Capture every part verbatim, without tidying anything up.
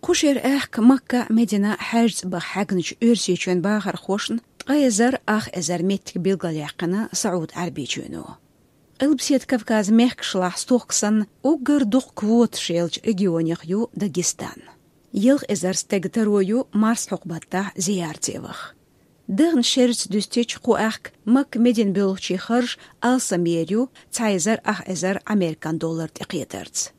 Кху шера аьхка Макка а, Медина а хьаьжцӀа баха хьаьгначу Оьрсийчоьнан бахархошна ткъе эзар ах эзар меттиг билгалъяьккхина СаӀуд-Ӏаьрбийчоьно. Къилбаседа Кавказан мехкашлахь стохка санна уггар дукха квоташ йолчу регионех ю Дагестан. Ялх эзар стеган таро ю марсхьокху баттахь зиярте ваха. Дахна шерца дуьстича, кху аьхка Макка-Медина боьлхучийн харж алсамъер ю цхьа эзар ах эзар американ доллар тӀекхетарца.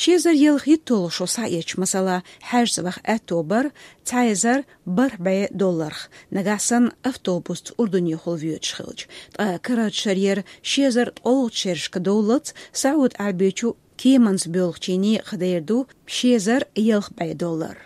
Ши эзар ялх-итт долу шо схьаэцча, масала, хьаьжцӀа ваха аьтто бара цхьа эзар бархӀ бӀе долларх, нагахь санна автобусца Урдунехула воьдуш хилча. Ткъа карарчу шарера ши эзар ткъолгӀачу шерашка довллалц СаӀуд-Ӏаьрбийчу кеманца боьлхучийн некъах дер ду ши эзар ялх бӀе доллар.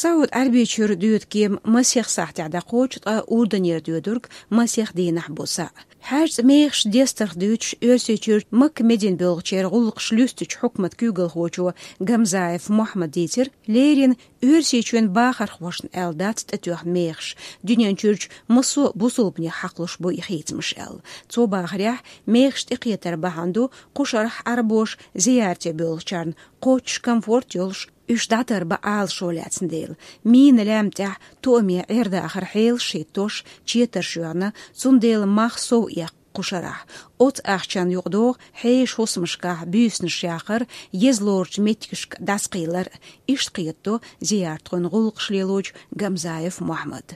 СаӀуд-Ӏаьрбийчуьра доьду кема масех сахьтехь дӀакхочу, ткъа Урданера доьдург масех дийнахь бу схьа. ХьаьжцӀа мехаш дестарх дуьйцуш, Оьрсийчуьра Макка-Медина боьлхучеран гӀуллакхаш луьстучу хьукматан куьйгалхочо Гамзаев Мухьаммада дийцира, леррина Оьрсийчоьнан бахархошна аьлла дац тӀетоьхна мехаш, дуьнен чуьрчу массо а бусалбанех хьакхалуш бу и хийцамаш аьлла. Цо бахарехь, мехаш тӀекхетар бахьана ду кху шарахь Ӏаьрбоша зиярте боьлхучарна кхоччуш комфорт йолуш, уьш дӀатарбан Ӏалашо лаьцна дела. Мина лаьмна тӀехь тоаме Ӏер-дахаран хьелаш хӀиттош, четарш йоьгӀна, цундела мах сов эккха кху шарахь. Оцу ахчанна юкъадогӀу хьешан хӀусамашкахь буьйсанаш яхар, еза лоручу меттигашка дӀасакхийлар. Иштта кхетадо зияртхойн гӀуллакхаш лелочу Гамзаев Мухьаммада.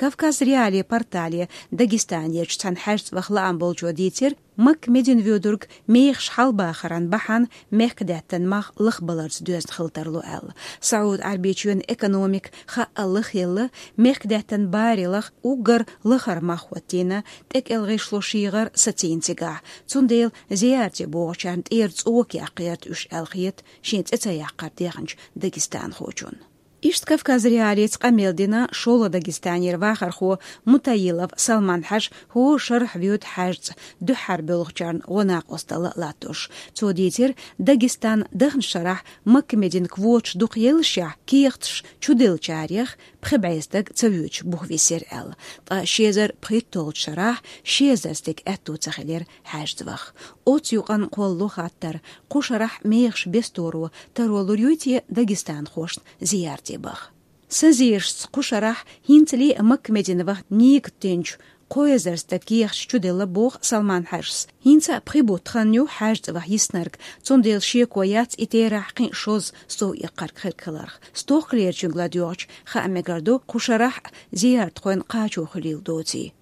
Кавказ.Реалии портале Дагестанерчу цхьана хьаьжцӀа ваха лаам болчо дийцира, Макка-Медина воьдург мехаш хьалабахаран бахьана мехкадаьттан мах лахбаларца доьзна хила тарло аьлла. СаӀуд-Ӏаьрбийчоьнан экономика хаъал лахъелла, мехкадаьттан бари лах уггар лахара мах хӀоттийна, тӀекӀел гӀишло шийгӀар сацийна цигахь. Цундела зиярте богӀучарна тӀера цӀока яккха гӀерта уьш аьлла хета шен цӀе ца яккхар дехначу дагестанхочунна. Иштта Кавказ.Реалица къамел дина шолгӀа Дагестанера вахархо Мутаилов Салман-Хьаьжа хӀора шарахь воьду хьаьжцӀа, дуьххьара боьлхучарна гӀо-накъост дала латтош. Цо дийцира, Дагестан дахначу шарахь Макка-Медина квоташ дукха еллашехь, кехаташ чуделлачарех пхи бӀе стаг ца воьдуш бух висира аьлла. Ткъа ши эзар пхийтталгӀачу шарахь ши эзар стеган аьтто ца хилира хьаьжцӀа ваха. Оцу юкъанна кхоллало хаттар: кху шарахь мехаш бесторо таро лур юй те дагестанхошна зиярте баха? Сан зерашца, кху шарахь хӀинцале а Макка-Медина ваха нигат динчу кхо эзар стага кехаташ чуделла, боху Салман-Хьаьжас. ХӀинца а пхи бутт хан ю хьаьжцӀа ваха йиснарг, цундела шеко яц и терахь кхин а шозза сов эккхарг хирг хиларх. Стохкалерчуьнга ладоьгӀча, хаа мегар ду, кху шарахь а зияртхойн кхачо хуьлийла доций.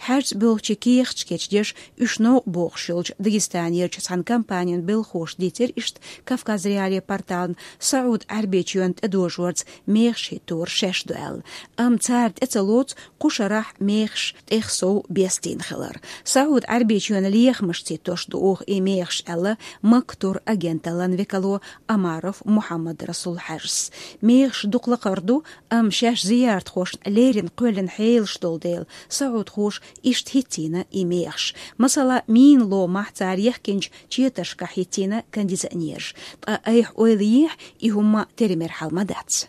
ХьаьжцӀа боьлхучийн кехаташ кечдеш, уьш новкъа бохуш йолчу Дагестанерчу цхьана компанин белхахоша дийцира иштта Кавказ.Реалии портална, СаӀуд-Ӏаьрбийчоьнна тӀедожорца мехаш хӀиттор шаьш ду аьлла. Амма цара тӀе ца лоцу кху шарахь мехаш тӀех сов бестийна хилар. СаӀуд-Ӏаьрбийчоьнан лехамашца хӀиттош ду оха и мехаш аьлла Макка турагенталлан векало Омаров Мухьаммад-Расул-Хьаьжас. Мехаш дукха лакхара ду, амма шаьш зияртхошна леррина кхоьллина хьелаш долу дела, саӀудхоша иштта хӀиттийна и мехаш. Масала, мина ломахь цара яхкинчу четаршкахь хӀиттийна кондиционераш. Ткъа айхьа ойла йехь, и хӀумма тера-мера хьал ма дац.